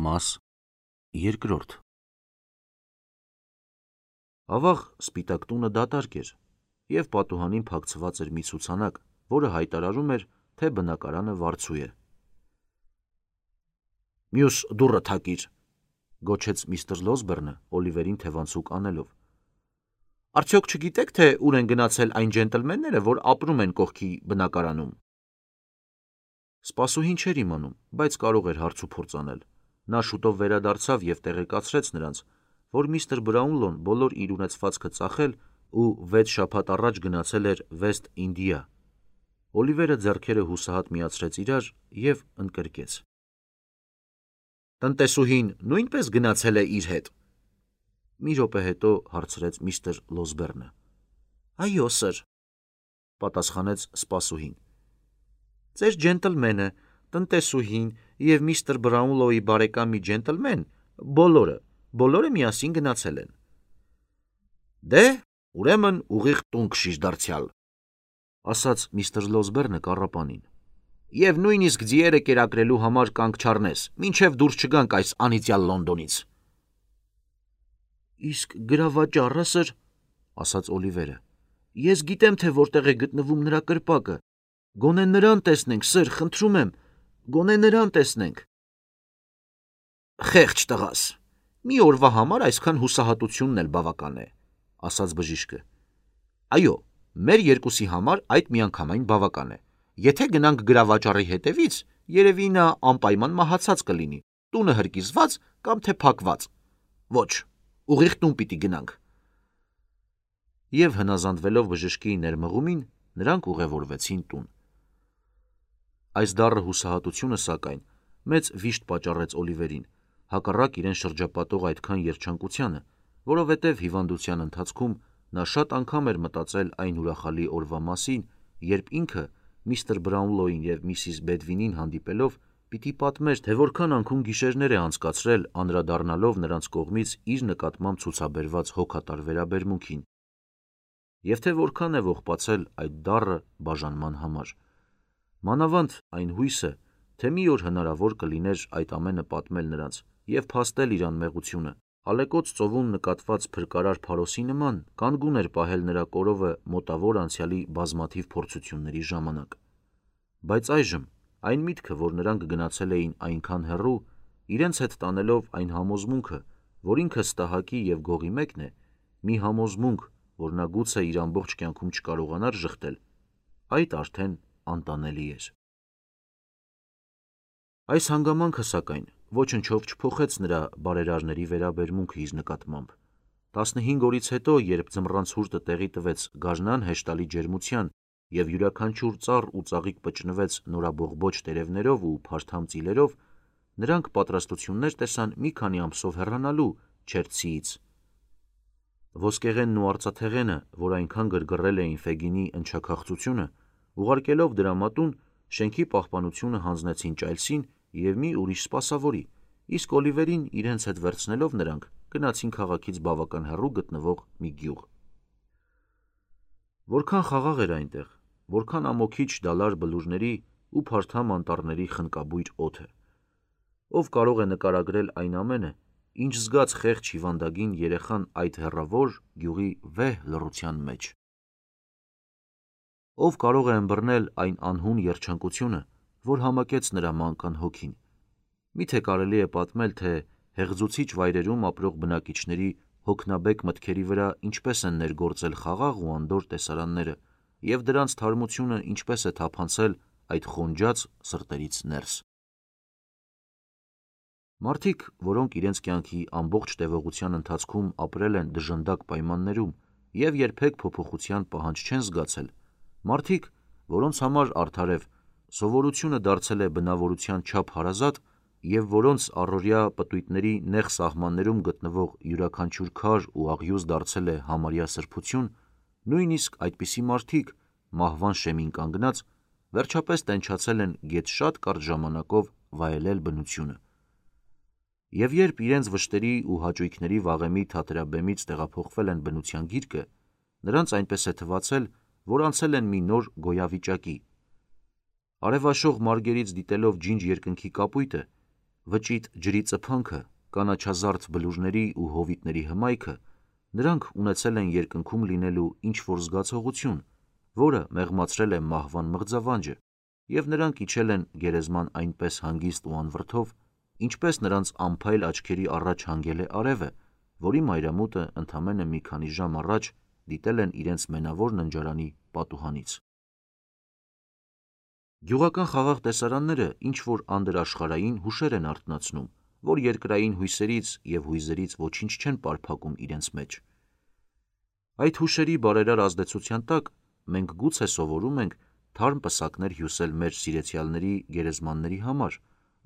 Մաս երկրորդ Ավաղ սպիտակ տունը դատարկ էր, և պատուհանին փակցված էր մի ցուցանակ, որը հայտարարում էր, թե բնակարանը վարձու է։ «Մյուս դուռը թակիր», գոչեց միստր Լոսբերնը Օլիվերին թևանցուկ անելով։ «Արդյոք չգիտեք, թե ուր են գնացել այն ջենտլմենները, որ ապրում են կողքի բնակարանում»։ Սպասուհին չէր իմանում, բայց կարող էր հարցուփորձ անել։ Նա շուտով վերադարձավ և տեղեկացրեց նրանց, որ միստր Բրաունլոն բոլոր իր ունեցվածքը ծախել ու 6 շաբաթ առաջ գնացել էր Վեստ Ինդիա։ Օլիվերը ձեռքերը հուսահատ միացրեց իրար և ընկրկեց. «Տնտեսուհին նույնպես գնացել է իր հետ»։ Մի րոպե հետո հարցրեց միստր Լոսբերնը։ «Այո, սըր», պատասխանեց սպասուհին։ «Ձեր ջենտլմենը, տնտեսուհին և միստր Բրաունլոյի բարեկամ մի ջենտլմեն բոլորը միասին գնացել են»։ «Դե, ուրեմն ուղիղ տուն կշիժ դարձյալ», ասաց միստր Լոսբերնը կառապանին, «և նույնիսկ ձիերը կերակրելու համար կանգ չառնես, մինչև դուրս չգանք այս անիծյալ Լոնդոնից»։ «Իսկ գրավաճառը, սըր», ասաց Օլիվերը, «ես գիտեմ, թե որտեղ է գտնվում նրա կրպակը։ Գոնե նրան տեսնենք, սըր, խնդրում եմ, գոնե նրան տեսնենք»։ «Խեղճ տղաս, մի օրվա համար այսքան հուսահատությունն էլ բավական է», ասաց բժիշկը։ «Այո, մեր երկուսի համար այդ միանգամայն բավական է։ Եթե գնանք գրավաճառի հետևից, երևի նա անպայման մահացած կլինի, տունը հրկիզված կամ թե փակված։ Ոչ, ուղիղ տուն պիտի գնանք»։ Եվ հնազանդվելով բժշկի ներմղումին, նրանք ուղևորվեցին տուն։ Այս դառը հուսահատությունը, սակայն, մեծ վիշտ պատճառեց Օլիվերին, հակառակ իրեն շրջապատող այդքան երջանկությանը, որովհետև հիվանդության ընթացքում նա շատ անգամ էր մտածել այն ուրախալի օրվա մասին, երբ ինքը միստր Բրաունլոյին և միսիս Բեդվինին հանդիպելով պիտի պատմեր, թե որքան անքուն գիշերներ է անցկացրել անդրադառնալով նրանց կողմից իր նկատմամբ ցուցաբերված հոգատար վերաբերմունքին, և թե որքան է ողբացել այդ դառը բաժանման համար։ Մանավանդ այն հույսը, թե մի օր հնարավոր կլիներ այդ ամենը պատմել նրանց և փաստել իր անմեղությունը, ալեկոծ ծովում նկատված փրկարար փարոսի նման կանգուն էր պահել նրա կորովը մոտավոր անցյալի բազմաթիվ փորձությունների ժամանակ։ Բայց այժմ այն միտքը, որ նրանք գնացել էին այնքան հեռու, իրենց հետ տանելով այն համոզմունքը, որ ինքը ստահակի և գողի մեկն է, մի համոզմունք, որ նա գուցե իր ամբողջ կյանքում չկարողանար ժխտել, այդ արդեն անտանելի էր։ Այս հանգամանքը, սակայն, ոչնչով չփոխեց նրա բարերարների վերաբերմունքը իր նկատմամբ։ 15 օրից հետո, երբ ձմռան ցուրտը տեղի տվեց գարնան հեշտալի ջերմության և յուրաքանչյուր ծառ ու ծաղիկ պճնվեց նորաբողբոջ տերևներով ու փարթամ ծիլերով, նրանք պատրաստություններ տեսան մի քանի ամսով հեռանալու Չերցիից։ Ոսկեղենն ու արծաթեղենը, որ այնքան գրգռել էին Ֆեգինի ընչաքաղցությունը, ուղարկելով դրամատուն, շենքի պահպանությունը հանձնեցին Ճայլսին և մի ուրիշ սպասավորի, իսկ Օլիվերին իրենց հետ վերցնելով նրանք գնացին քաղաքից բավական հեռու գտնվող մի գյուղ։ Որքան խաղաղ էր այնտեղ, որքան ամոքիչ դալար բլուրների ու փարթամ անտառների խնկաբույր օդը։ Ով կարող է նկարագրել այն ամենը, ինչ զգաց խեղճ հիվանդագին երեխան այդ հեռավոր գյուղի վեհ լռության մեջ։ Ով կարող է ըմբռնել այն անհուն երջանկությունը, որ համակեց նրա մանկան հոգին։ Միթե կարելի է պատմել, թե հեղձուցիչ վայրերում ապրող բնակիչների հոգնաբեկ մտքերի վրա ինչպես են ներգործել խաղաղ ու անդորր տեսարանները և դրանց թարմությունը ինչպես է թափանցել այդ խոնջած սրտերից ներս։ Մարդիկ, որոնք իրենց կյանքի ամբողջ տևողության ընթացքում ապրել են դժնդակ պայմաններում և երբեք փոփոխության պահանջ չեն զգացել, մարդիկ, որոնց համար արդարև սովորությունը դարձել է բնավորության չափ հարազատ և որոնց առօրյա պտույտների նեղ սահմաններում գտնվող յուրաքանչյուր քար ու աղյուս դարձել է համարյա սրբություն, նույնիսկ այդպիսի մարդիկ, մահվան շեմին կանգնած, վերջապես տենչացել են գեթ շատ կարճ ժամանակով վայելել բնությունը։ Եվ երբ իրենց վշտերի ու հաճույքների վաղեմի թատերաբեմից տեղափոխվել են բնության գիրկը, նրանց այնպես է թվացել, որ անցել են մի նոր գոյավիճակի։ Արևաշող մարգերից դիտելով ջինջ երկնքի կապույտը, վճիտ ջրի ծփանքը, կանաչազարդ բլուրների ու հովիտների հմայքը, նրանք ունեցել են երկնքում լինելու ինչ-որ զգացողություն, որը մեղմացրել է մահվան մղձավանջը, և նրանք իջել են գերեզման այնպես հանգիստ ու անվրդով, ինչպես նրանց անփայլ աչքերի առաջ հանգել է արևը, որի մայրամուտը ընդամենը մի քանի ժամ առաջ դիտել են իրենց մենավոր ննջարանի պատուհանից։ Գյուղական խաղաղ տեսարանները ինչ-որ անդրաշխարհային հուշեր են արթնացնում, որ երկրային հույսերից և հույզերից ոչինչ չեն պարփակում իրենց մեջ։ Այդ հուշերի բարերար ազդեցության տակ մենք գուցե սովորում ենք թարմ պսակներ հյուսել մեր սիրեցյալների գերեզմանների համար,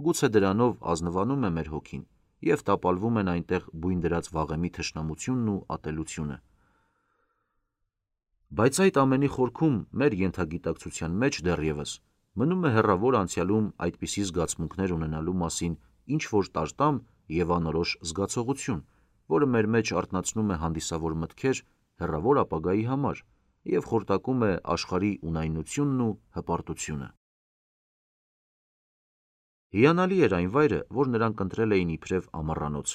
գուցե դրանով ազնվանում է մեր հոգին և տապալվում են այնտեղ բույն դրած վաղեմի թշնամությունն ու ատելությունը։ Բայց այդ ամենի խորքում մեր ենթագիտակցության մեջ դեռևս մնում է հեռավոր անցյալում այդպիսի զգացմունքներ ունենալու մասին ինչ-որ տարտամ և անորոշ զգացողություն, որը մեր մեջ արթնացնում է հանդիսավոր մտքեր հեռավոր ապագայի համար և խորտակում է աշխարհի ունայնությունն ու հպարտությունը։ Հիանալի էր այն վայրը, որ նրանք ընտրել էին իբրև ամառանոց։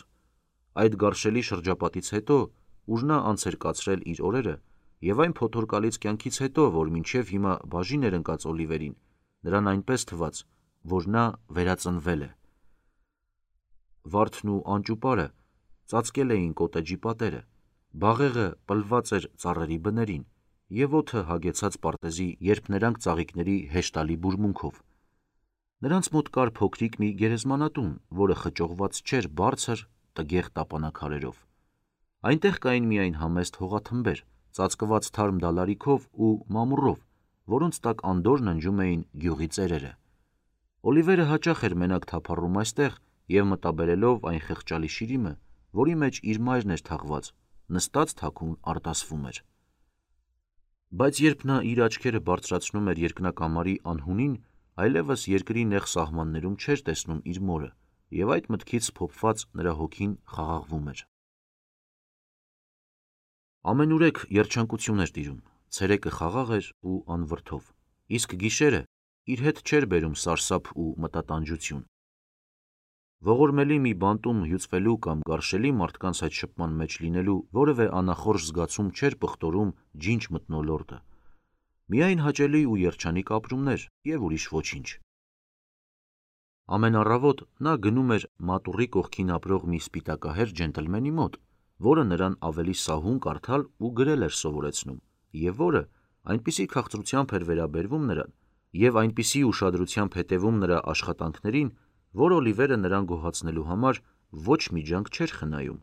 Այդ գարշելի շրջապատից հետո, ուր նա անց էր կացրել իր օրերը, և այն փոթորկալից կյանքից հետո, որ մինչև հիմա բաժին էր ընկած Օլիվերին, նրան այնպես թվաց, որ նա վերածնվել է։ Վարդն ու անճուպարը ծածկել էին կոտեջի պատերը, բաղեղը պլված էր ծառերի բներին, և օդը հագեցած պարտեզի երբ նրանք ծաղիկների հեշտալի բուրմունքով։ Նրանց մոտ կար փոքրիկ մի գերեզմանատուն, որը խճողված չէր բարձր, տգեղ տապանաքարերով։ Այնտեղ կային միայն համեստ հողաթմբեր, ծածկված թարմ դալարիքով ու մամուռով, որոնց տակ անդորր ննջում էին գյուղի ծերերը։ Օլիվերը հաճախ էր մենակ թափառում այստեղ և մտաբերելով այն խղճալի շիրիմը, որի մեջ իր մայրն էր թաղված, նստած թաքուն արտասվում էր։ Բայց երբ նա իր աչքերը բարձրացնում էր երկնակամարի անհունին, այլևս երկրի նեղ սահմաններում չէր տեսնում իր մորը, և այդ մտքից փոփված նրա հոգին խաղաղվում էր։ Ամենուրեք երջանկություն էր տիրում, ցերեկը խաղաղ էր ու անվրդով, իսկ գիշերը իր հետ չէր բերում սարսափ ու մտատանջություն։ Ողորմելի մի բանտում հյուծվելու կամ գարշելի մարդկանց հետ շփման մեջ լինելու որևէ անախորժ զգացում չէր պղտորում ջինջ մթնոլորտը, միայն հաճելի ու երջանիկ ապրումներ և ուրիշ ոչինչ։ Ամեն առավոտ նա գնում էր մատուռի կողքին ապրող մի սպիտակահեր ջենտլմենի մոտ, որը նրան ավելի սահուն կարդալ ու գրել էր սովորեցնում, և որը այնպիսի քաղցրությամբ էր վերաբերվում նրան և այնպիսի ուշադրությամբ հետևում նրա աշխատանքներին, որ Օլիվերը նրան գոհացնելու համար ոչ մի ջանք չէր խնայում։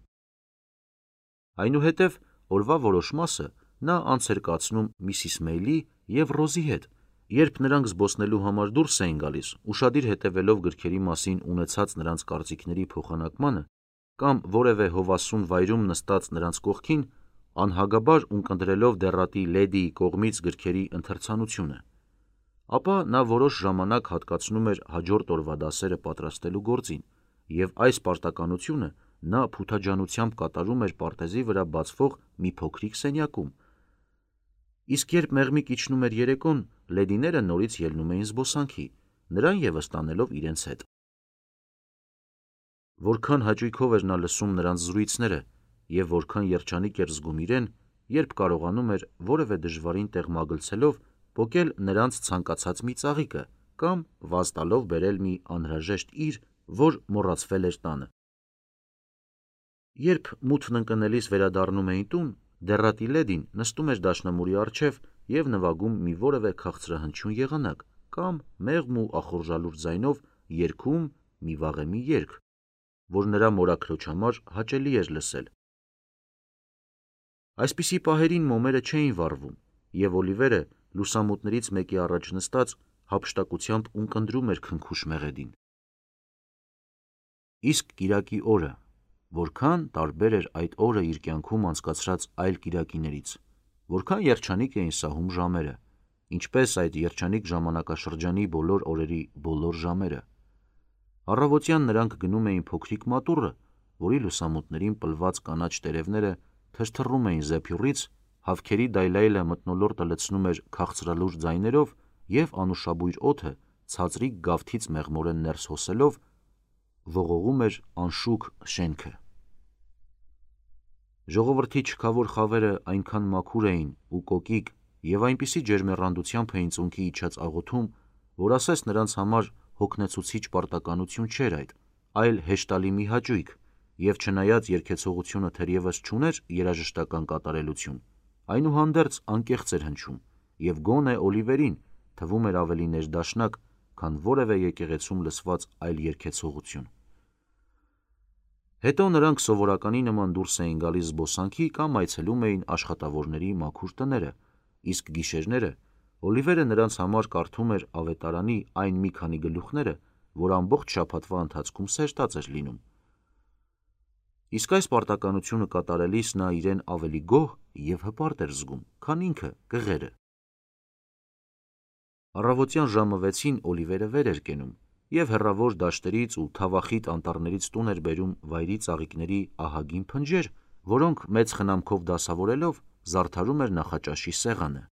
Այնուհետև օրվա որոշ մասը նա անց էր կացնում Միսիս Մեյլի և Ռոզի հետ, երբ նրանք զբոսնելու համար դուրս էին գալիս, ուշադիր հետևելով գրքերի մասին ունեցած նրանց կարծիքների փոխանակմանը կամ որևէ հովասուն վայրում նստած նրանց կողքին, անհագաբար ունկնդրելով դեռատի լեդիի կողմից գրքերի ընթերցանությունը։ Ապա նա որոշ ժամանակ հատկացնում էր հաջորդ օրվա դասերը պատրաստելու գործին, և այս պարտականությունը նա փութաջանությամբ կատարում էր պարտեզի վրա բացվող մի փոքրիկ սենյակում, իսկ երբ մեղմիկ իջնում էր երեկոն, լեդիները նորից ելնում էին զբոսանքի, նրան ևս տանելով իրենց հետ։ Որքան հաճույքով էր նա լսում նրանց զրույցները և որքան երջանիկ էր զգում իրեն, երբ կարողանում էր որևէ դժվարին տեղ մագլցելով պոկել նրանց ցանկացած մի ծաղիկը կամ վազ տալով բերել մի անհրաժեշտ իր, որ մոռացվել էր տանը։ Երբ մութն ընկնելիս վերադառնում էին տուն, դեռատի լեդին նստում էր դաշնամուրի առջև և նվագում մի որևէ քաղցրահնչյուն եղանակ կամ մեղմ ու ախորժալուր ձայնով երգում մի վաղեմի երգ, որ նրա մորաքրոջ համար հաճելի էր լսել։ Այսպիսի պահերին մոմերը չէին վառվում, և Օլիվերը լուսամուտներից մեկի առաջ նստած հափշտակությամբ ունկնդրում էր քնքուշ մեղեդին։ Իսկ կիրակի օրը, որքան տարբեր էր այդ օրը իր կյանքում անցկացրած այլ կիրակիներից, որքան երջանիկ էին սահում ժամերը, ինչպես այդ երջանիկ ժամանակաշրջանի բոլոր օրերի բոլոր ժամերը։ Առավոտյան նրանք գնում էին փոքրիկ մատուռը, որի լուսամուտներին պլված կանաչ տերևները թրթռում էին զեփյուռից, հավքերի դայլայլը մթնոլորտը լցնում էր քաղցրալուր ձայներով և անուշաբույր օդը ցածրիկ գավթից մեղմորեն ներս հոսելով ողողում էր անշուք շենքը։ Ժողովրդի չքավոր խավերը այնքան մաքուր էին ու կոկիկ և այնպիսի ջերմեռանդությամբ էին ծունկի իջած աղոթում, որ ասես նրանց համար հոգնեցուցիչ պարտականություն չէր այդ, այլ հեշտալի մի հաճույք, և չնայած երգեցողությունը թերևս չուներ երաժշտական կատարելություն, այնուհանդերձ անկեղծ էր հնչում, և գոնե Օլիվերին թվում էր ավելի ներդաշնակ, քան որևէ եկեղեցում լսված այլ երգեցողություն։ Հետո նրանք սովորականի նման դուրս էին գալիս զբոսանքի կամ այցելում էին աշխատավորների մաքուր տները, իսկ գիշերները Օլիվերը նրանց համար կարդում էր ավետարանի այն մի քանի գլուխները, որ ամբողջ շաբաթվա ընթացքում սերտած էր լինում։ Իսկ այս պարտականությունը կատարելիս նա իրեն ավելի գոհ և հպարտ էր զգում, քան ինքը կղերը։ Առավոտյան ժամը 6-ին Օլիվերը վեր էր կենում և հեռավոր դաշտերից ու թավախիտ անտառներից տուն էր բերում վայրի ծաղիկների ահագին փնջեր, որոնք մեծ խնամքով դասավորելով զարդարում էր նախաճաշի սեղանը։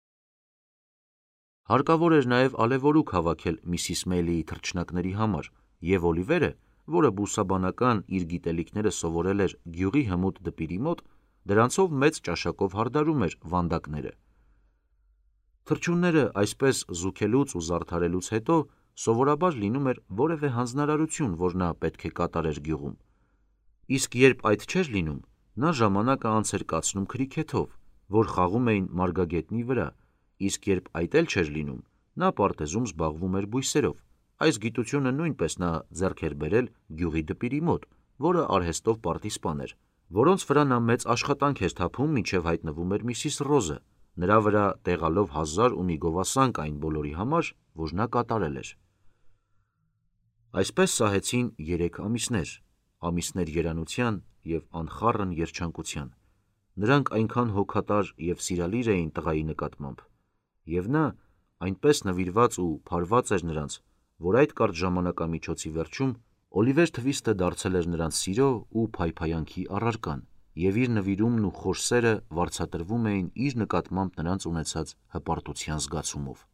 Հարկավոր էր նաև ալևորուք հավաքել Միսիս Մեյլիի թռչնակների համար, և Օլիվերը, որը բուսաբանական իր գիտելիքները սովորել էր գյուղի հմուտ դպիրի մոտ, դրանցով մեծ ճաշակով հարդարում էր վանդակները։ Թռչունները այսպես զուգելուց ու զարդարելուց հետո սովորաբար լինում էր որևէ հանձնարարություն, որ նա պետք է կատարեր գյուղում, իսկ երբ այդ չէր լինում, նա ժամանակը անց էր կացնում քրիքեթով, որ խաղում էին մարգագետնի վրա, իսկ երբ այդ էլ չէր լինում, նա պարտեզում զբաղվում էր բույսերով։ Այս գիտությունը նույնպես նա ձեռք էր բերել գյուղի դպիրի մոտ, որը արհեստով պարտիզպան էր, որոնց վրա նա մեծ աշխատանք էր թափում, մինչև հայտնվում էր Միսիս Ռոզը, նրա վրա տեղալով հազար ու մի գովասանք այն բոլորի համար, որ նա կատարել էր։ Այսպես սահեցին 3 ամիսներ երանության և անխառն երջանկության։ Նրանք այնքան հոգատար և սիրալիր էին տղայի նկատմամբ, և նա այնպես նվիրված ու փարված էր նրանց, որ այդ կարճ ժամանակամիջոցի վերջում Օլիվեր Թվիստը դարձել էր նրանց սիրո ու փայփայանքի առարկան, և իր նվիրումն ու խոր սերը վարձատրվում էին իր նկատմամբ նրանց ունեցած հպարտության զգացումով։